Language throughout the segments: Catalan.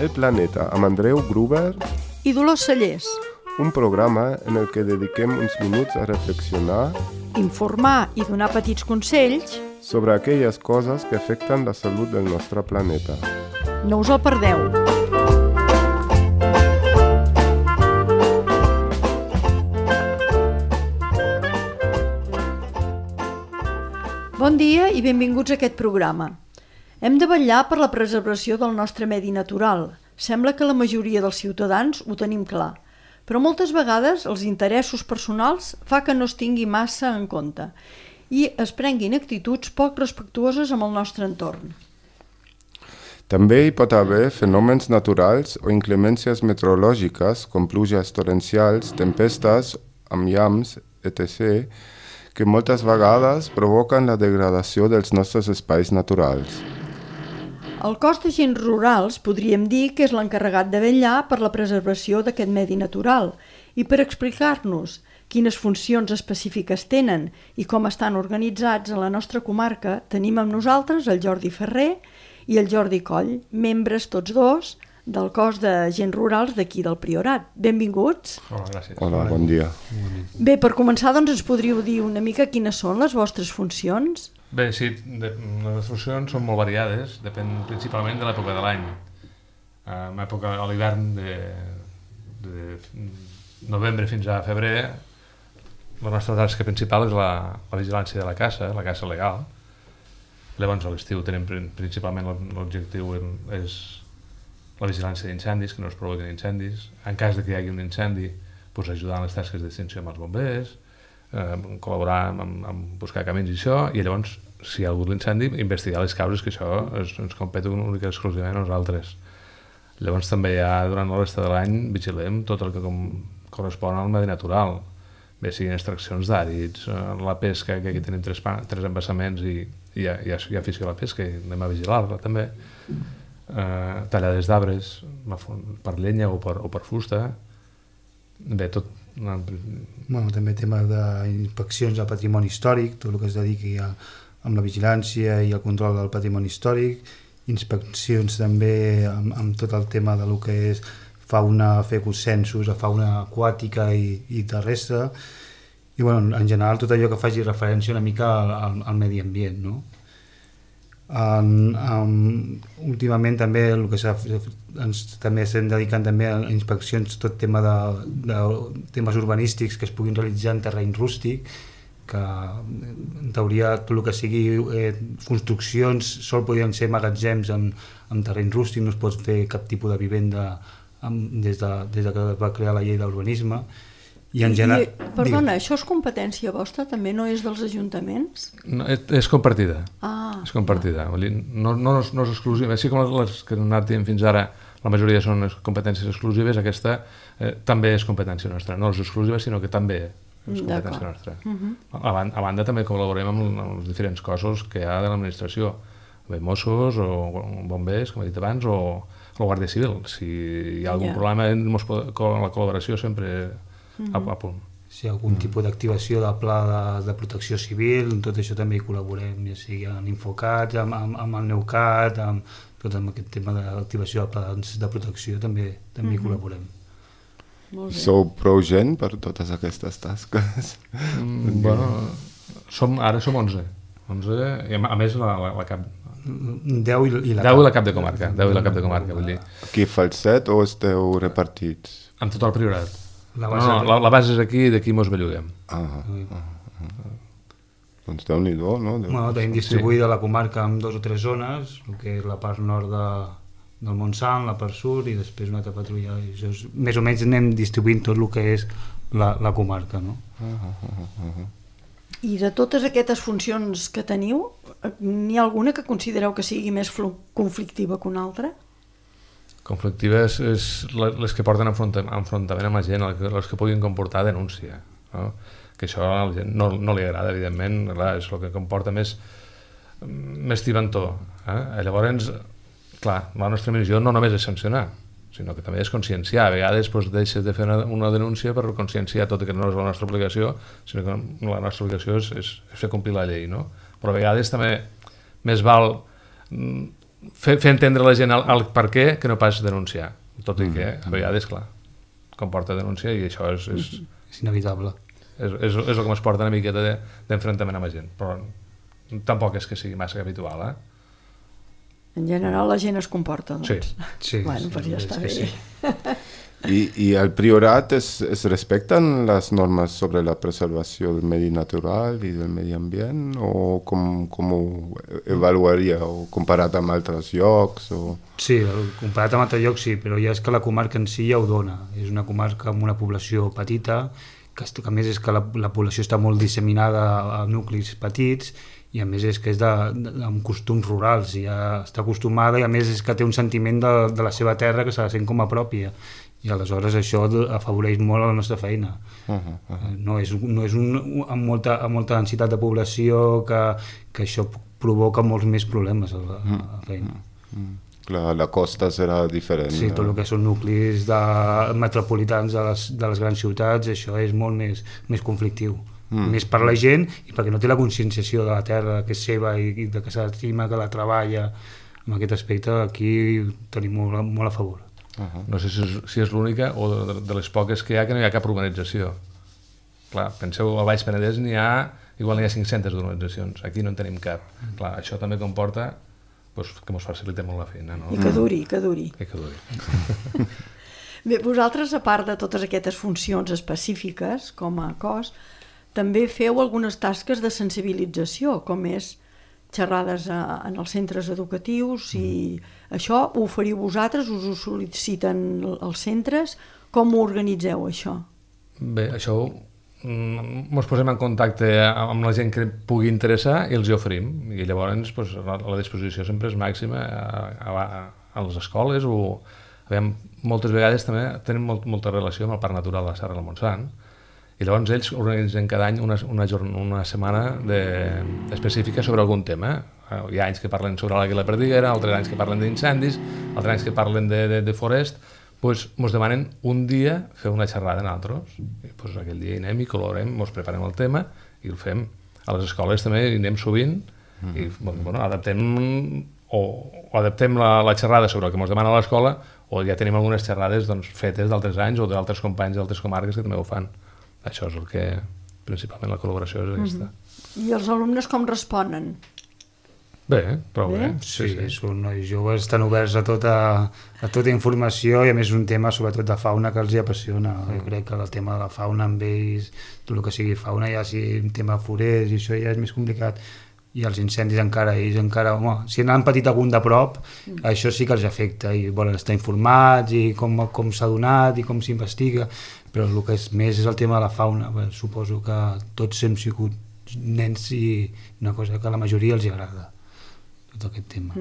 El Planeta amb Andreu Gruber i Dolors Cellers. Un programa en el que dediquem uns minuts a reflexionar, informar i donar petits consells sobre aquelles coses que afecten la salut del nostre planeta. No us el perdeu. Bon dia i benvinguts a aquest programa. Hem de vetllar per la preservació del nostre medi natural. Sembla que la majoria dels ciutadans ho tenim clar, però moltes vegades els interessos personals fa que no es tingui massa en compte i es prenguin actituds poc respectuoses amb el nostre entorn. També hi pot haver fenòmens naturals o inclemències meteorològiques com pluges torrencials, tempestes, amb llamps, etc., que moltes vegades provoquen la degradació dels nostres espais naturals. El cos d'agents rurals podríem dir que és l'encarregat de vetllar per la preservació d'aquest medi natural i per explicar-nos quines funcions específiques tenen i com estan organitzats a la nostra comarca tenim amb nosaltres el Jordi Ferrer i el Jordi Coll, membres tots dos del cos d'agents rurals d'aquí del Priorat. Benvinguts. Hola, gràcies. Hola, bon dia. Bé, per començar, doncs ens podríeu dir una mica quines són les vostres funcions? Bé, sí, les funcions són molt variades, depèn principalment de l'època de l'any. En època a l'hivern de novembre fins a febrer, la nostra tasca principal és la vigilància de la caça legal. Llavors a l'estiu tenim principalment l'objectiu és la vigilància d'incendis, que no es provoquin incendis. En cas de que hi hagi un incendi, doncs ajudar en les tasques d'extinció amb els bombers, col·laborar amb buscar camins i això, i llavors, si hi ha hagut l'incendi, investigar les causes, que això ens competeix únicament exclusivament a nosaltres. Llavors també durant la resta de l'any vigilem tot el que correspon al medi natural, bé siguin extraccions d'àrids, la pesca, que aquí tenim tres embassaments i hi ha afició a la pesca i anem a vigilar-la també, tallades d'arbres per llenya o per fusta, bé, tot. També tema d'inspeccions al patrimoni històric, tot el que es dediqui amb la vigilància i el control del patrimoni històric, inspeccions també amb tot el tema de lo que és fauna, fer censos a fauna aquàtica i terrestre, i en general tot allò que faci referència una mica al medi ambient, no? Últimament també el que també estem dedicant també a inspeccions, tot tema de temes urbanístics que es puguin realitzar en terreny rústic, que en teoria tot el que sigui construccions sol podrien ser magatzems en terreny rústic, no es pot fer cap tipus de vivenda des que es va crear la llei d'urbanisme. Perdona, això és competència vostra? També no és dels ajuntaments? No, és compartida. És compartida. No és exclusiva. Així com les que hem anat dient fins ara, la majoria són competències exclusives, aquesta també és competència nostra. No és exclusiva, sinó que també és competència nostra. A banda també col·laborem amb els diferents cossos que hi ha de l'administració, Mossos o bombers, com he dit abans, o la Guàrdia Civil. Si hi ha algun problema, la col·laboració sempre a punt. Si hi ha algun tipus d'activació del pla de protecció civil, tot això també hi col·laborem, ja sigui en Infocat, amb el Neucat, tot amb aquest tema d'activació del pla de protecció també hi col·laborem. Sou prou gent per totes aquestes tasques? Ara som 11, i a més la cap 10 i la cap de comarca, vull dir. Aquí Falset o esteu repartits? Amb tot el Priorat. La base és aquí i d'aquí mos belluguem. Doncs Déu-n'hi-do, no? Tenim distribuïda la comarca en 2 o 3 zones, el que és la part nord del Montsant, la part sud i després una altra patrulla. Més o menys anem distribuint tot el que és la comarca, no? I de totes aquestes funcions que teniu, n'hi ha alguna que considereu que sigui més conflictiva que una altra? Conflictives és les que porten enfrontament amb la gent, les que puguin comportar denúncia, no? Que això a la gent no li agrada, evidentment, és el que comporta més tibantor. Llavors, clar, la nostra missió no només és sancionar, sinó que també és conscienciar. A vegades deixes de fer una denúncia per conscienciar tot, que no és la nostra obligació, sinó que la nostra obligació és fer complir la llei, no? Però a vegades també més val fer entendre a la gent el per què que no pas denunciar. Tot i que, a vegades, clar, comporta denúncia i això és inevitable. És el que ens porta una miqueta d'enfrontament amb la gent, però tampoc és que sigui massa habitual, En general la gent es comporta, doncs. Sí. Bueno, pues ja està bé. Sí. ¿Y al priorat respetan las normas sobre la preservación del medio natural y del medio ambiente? ¿O cómo evaluaría? ¿O comparat amb altres llocs? O... Sí, comparat amb altres llocs sí, però ja és que la comarca en si ja ho dona. És una comarca amb una població petita, que a més és que la població està molt disseminada a nuclis petits, i a més és que és amb costums rurals, i ja està acostumada, i a més és que té un sentiment de la seva terra que se la sent com a pròpia, i aleshores això afavoreix molt la nostra feina. No és amb molta densitat de població que això provoca molts més problemes a la feina. Clar, la costa serà diferent. Sí, tot el que són nuclis metropolitans de les grans ciutats, això és molt més conflictiu. Més per la gent i perquè no té la conscienciació de la terra que és seva i de que s'estima, que la treballa. En aquest aspecte aquí tenim molt a favor. No sé si és l'única o de les poques que hi ha que no hi ha cap urbanització. Clar, penseu, al Baix Penedès igual n'hi ha 500 d'urbanitzacions, aquí no en tenim cap. Clar, això també comporta que ens facilita molt la feina. No? I que duri. Bé, vosaltres, a part de totes aquestes funcions específiques com a cos, també feu algunes tasques de sensibilització, com és xerrades en els centres educatius, i això ho oferiu vosaltres, us ho sol·liciten els centres, com ho organitzeu això? Bé, això ens posem en contacte amb la gent que pugui interessar i els hi oferim, i llavors la disposició sempre és màxima a les escoles, o moltes vegades també tenim molta relació amb el Parc Natural de la Serra del Montsant, i llavors ells organitzen cada any una setmana específica sobre algun tema. Hi ha anys que parlen sobre l'àguila perdiguera, altres anys que parlen d'incendis, altres anys que parlen de forest. Ens demanen un dia fer una xerrada nosaltres. Aquell dia hi anem i colorem, ens preparem el tema i el fem. A les escoles també hi anem sovint i adaptem la xerrada sobre el que ens demana l'escola, o ja tenim algunes xerrades fetes d'altres anys o d'altres companys d'altres comarques que també ho fan. Això és el que, principalment, la col·laboració és aquesta. I els alumnes com responen? Bé, prou bé. Sí, són nois joves, estan oberts a tota informació, i a més un tema sobretot de fauna que els hi apassiona. Jo crec que el tema de la fauna amb ells, tot el que sigui fauna, ja si un tema forest i això ja és més complicat. I els incendis encara, si n'han patit algun de prop, això sí que els afecta i volen estar informats i com s'ha donat i com s'investiga, però el que és més és el tema de la fauna. Suposo que tots hem sigut nens i una cosa que a la majoria els agrada, tot aquest tema.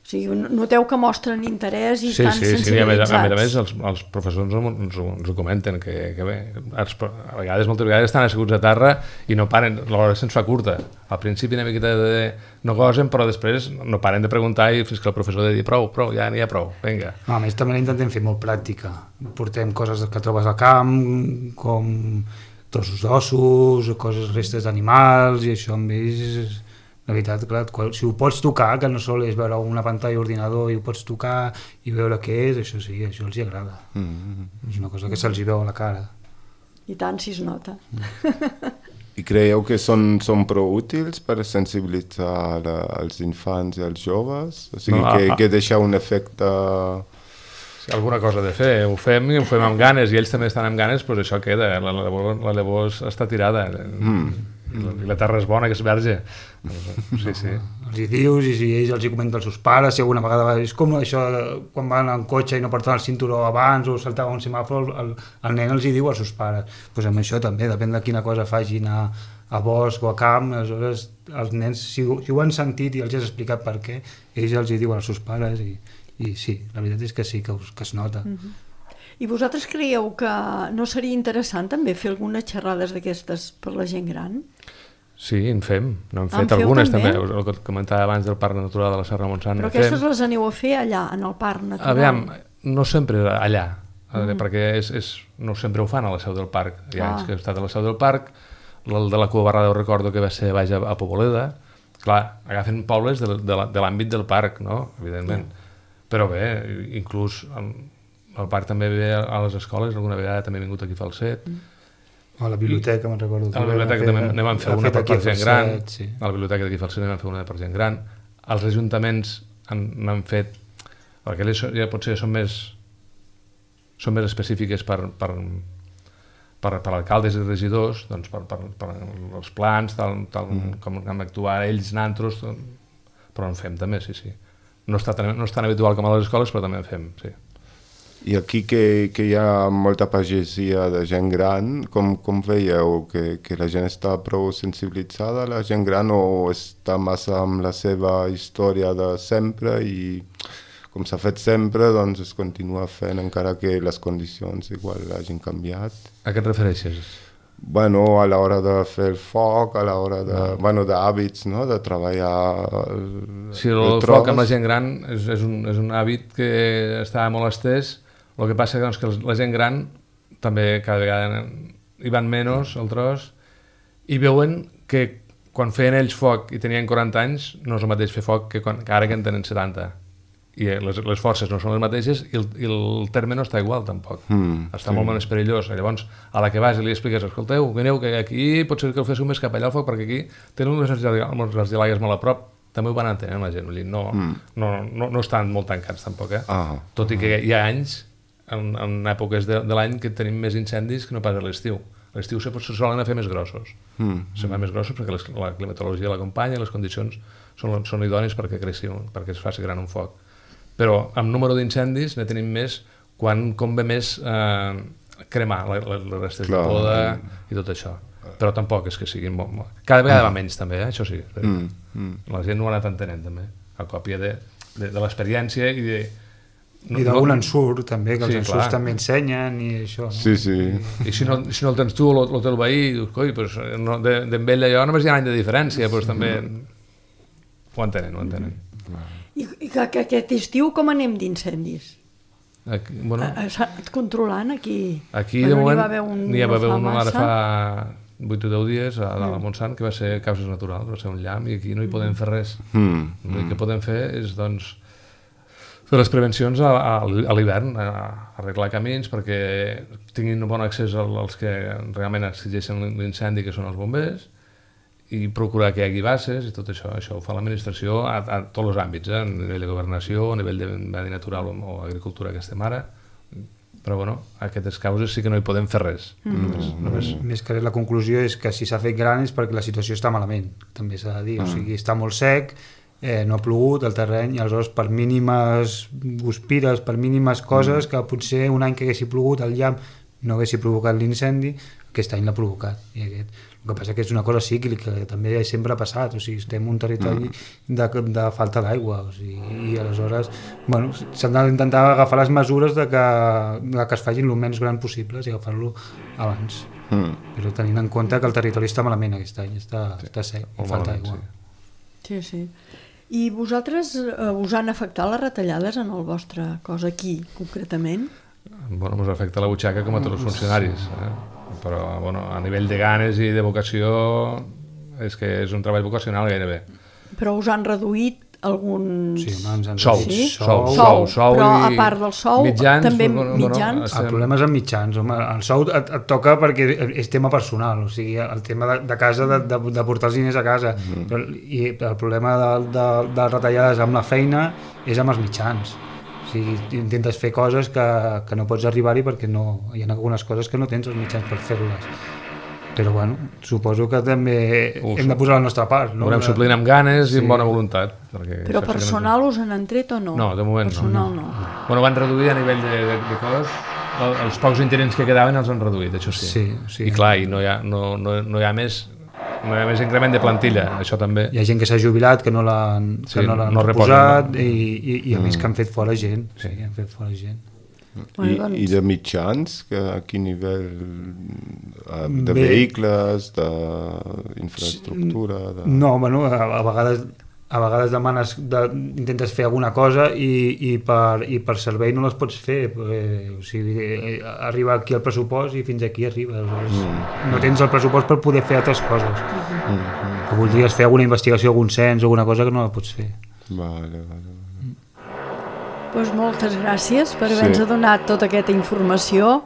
O sigui, noteu que mostren interès i estan sensibilitzats. Sí, a més els professors ens ho comenten, que bé, moltes vegades estan asseguts a terra i no paren, l'hora se'ns fa curta. Al principi una miqueta no gosen, però després no paren de preguntar i fins que el professor ha de dir prou, ja n'hi ha prou, vinga. A més també intentem fer molt pràctica. Portem coses que trobes al camp, com trossos d'ossos, restes d'animals, i això amb ells... La veritat, clar, si ho pots tocar, que no sol és veure una pantalla d'ordinador i ho pots tocar i veure què és, això sí, això els agrada. És una cosa que se'ls veu a la cara. I tant si es nota. I creieu que són prou útils per sensibilitzar els infants i els joves? O sigui, que deixa un efecte... Si alguna cosa de fer, ho fem i ho fem amb ganes, i ells també estan amb ganes, doncs això queda, la llavor està tirada. I la terra és bona, que és verge. Sí. Els hi dius, i si ells els hi comenten als seus pares, si alguna vegada és com això quan van en cotxe i no porten el cinturó abans o saltava un semàfor, el nen els hi diu als seus pares. Doncs amb això també, depèn de quina cosa facin a bosc o a camp, aleshores els nens, si ho han sentit i els has explicat per què, ells els hi diuen als seus pares i sí, la veritat és que sí, que es nota. I vosaltres creieu que no seria interessant també fer algunes xerrades d'aquestes per la gent gran? Sí, en fem. N'hem fet algunes també. El que comentava abans del Parc Natural de la Serra del Montsant. Però aquestes les aneu a fer allà, en el Parc Natural? Aviam, no sempre allà, perquè no sempre ho fan a la seu del parc. Hi ha anys que he estat a la seu del parc, el de la Cua Barrada ho recordo que va ser baix a Poboleda, Clar, agafen pobles de l'àmbit del parc, no? Evidentment. Però bé, inclús el parc també ve a les escoles, alguna vegada també he vingut aquí a Falset. A la biblioteca, me'n recordo. A la biblioteca també ne vam fer una per gent gran. Sí. A la biblioteca d'aquí a Falset ne vam fer una per gent gran. Els ajuntaments n'han fet... Perquè ja potser són més específiques per alcaldes i regidors, doncs per els plans, com han d'actuar ells, nantros, però en fem també, sí. No és tan habitual com a les escoles, però també en fem, sí. I aquí que hi ha molta pagesia de gent gran, com veieu? Que la gent està prou sensibilitzada, la gent gran, o està massa amb la seva història de sempre i com s'ha fet sempre, doncs es continua fent encara que les condicions igual hagin canviat? A què et refereixes? Bueno, a l'hora de fer el foc, a l'hora d'hàbits, no? De treballar Sí, el foc amb la gent gran és un hàbit que està molt estès. El que passa és que la gent gran també cada vegada hi van menys al tros i veuen que quan feien ells foc i tenien 40 anys no és el mateix fer foc que ara que en tenen 70. I les forces no són les mateixes i el terme no està igual tampoc, està molt més perillós. Llavors a la que vas i li expliques, escolteu, vineu, que aquí potser que el féssiu més cap allà al foc perquè aquí tenen unes argelagues molt a prop. També ho van entenent la gent, no estan molt tancats tampoc, tot i que hi ha anys en èpoques de l'any que tenim més incendis que no pas a l'estiu. A l'estiu se solen fer més grossos, se fan més grossos perquè la climatologia l'acompanya i les condicions són idònies perquè creixi, perquè es faci gran un foc. Però amb número d'incendis ne tenim més quan convé més cremar les restes de poda i tot això. Però tampoc és que siguin molt... Cada vegada va menys també, això sí. La gent no ho ha anat entenent també, a còpia de l'experiència i de... I d'algun ensurt també, que els ensurts també ensenyen i això. Sí. I si no el tens tu o el teu veí, dius, coi, d'en ell allò només hi ha un any de diferència, doncs també ho entenen. I que aquest estiu com anem d'incendis? Controlant aquí? Aquí de moment n'hi va haver un ara fa 8 o 10 dies a la Montsant que va ser causes naturals, va ser un llamp i aquí no hi podem fer res. L'únic que podem fer és doncs fer les prevencions a l'hivern, arreglar camins perquè tinguin un bon accés als que realment exigeixen l'incendi, que són els bombers, i procurar que hi hagi bases i tot això. Això ho fa l'administració a tots els àmbits, a nivell de governació, a nivell de medi natural o agricultura que estem ara. Però bueno, a aquestes causes sí que no hi podem fer res. Més que res la conclusió és que si s'ha fet gran és perquè la situació està malament, també s'ha de dir. O sigui, està molt sec, no ha plogut el terreny, i aleshores per mínimes guspires, per mínimes coses, que potser un any que haguessi plogut el llamp no haguessi provocat l'incendi, aquest any l'ha provocat. El que passa que és una cosa cíclica, que també sempre ha passat, o sigui, estem en un territori de falta d'aigua, o sigui, i aleshores s'han d'intentar agafar les mesures de que es facin el menys gran possible i agafar-lo abans. Però tenint en compte que el territori està malament aquest any, està sec, i falta aigua. Sí. I vosaltres us han afectat les retallades en el vostre cos aquí, concretament? Ens afecta la butxaca com a tots els funcionaris, però a nivell de ganes i de vocació és que és un treball vocacional gairebé. Però us han reduït algun... Sou. Però a part del sou, també mitjans? El problema és amb mitjans. El sou et toca perquè és tema personal, o sigui, el tema de casa, de portar els diners a casa. I el problema de retallades amb la feina és amb els mitjans. O sigui, intentes fer coses que no pots arribar-hi perquè hi ha algunes coses que no tens els mitjans per fer-les. Però suposo que també hem de posar la nostra part. Ho haurem suplint amb ganes i amb bona voluntat. Però personal us han tret o no? No, de moment personal no. Van reduir a nivell de cos, els pocs interins que quedaven els han reduït, això sí. I clar, no hi ha més increment de plantilla, això també. Hi ha gent que s'ha jubilat, que no l'han reposat i a més que han fet fora gent. Han fet fora gent. I de mitjans, a quin nivell? De vehicles, d'infraestructura? No, a vegades a vegades intentes fer alguna cosa i per servei no les pots fer, perquè, o sigui, arriba aquí el pressupost i fins aquí arriba. No tens el pressupost per poder fer altres coses. Que voldries fer alguna investigació, algun cens o alguna cosa que no la pots fer. Vale. Doncs moltes gràcies per haver-nos donat tota aquesta informació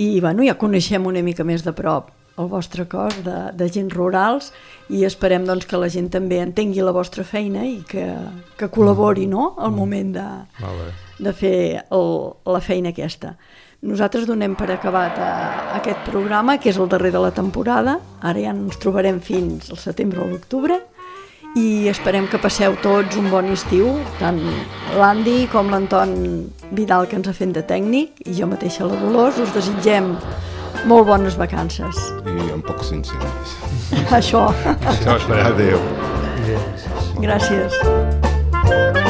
i bueno, ja coneixem una mica més de prop el vostre cos d'agents rurals i esperem doncs, que la gent també entengui la vostra feina i que col·labori, no?, al moment de fer la feina aquesta. Nosaltres donem per acabat aquest programa, que és el darrer de la temporada. Ara ja ens trobarem fins al setembre o l'octubre i esperem que passeu tots un bon estiu, tant l'Andy com l'Anton Vidal, que ens ha fet de tècnic, i jo mateixa, la Dolors. Us desitgem molt bones vacances. I amb pocs incendis. Això. Això esperem. Adéu. Gràcies.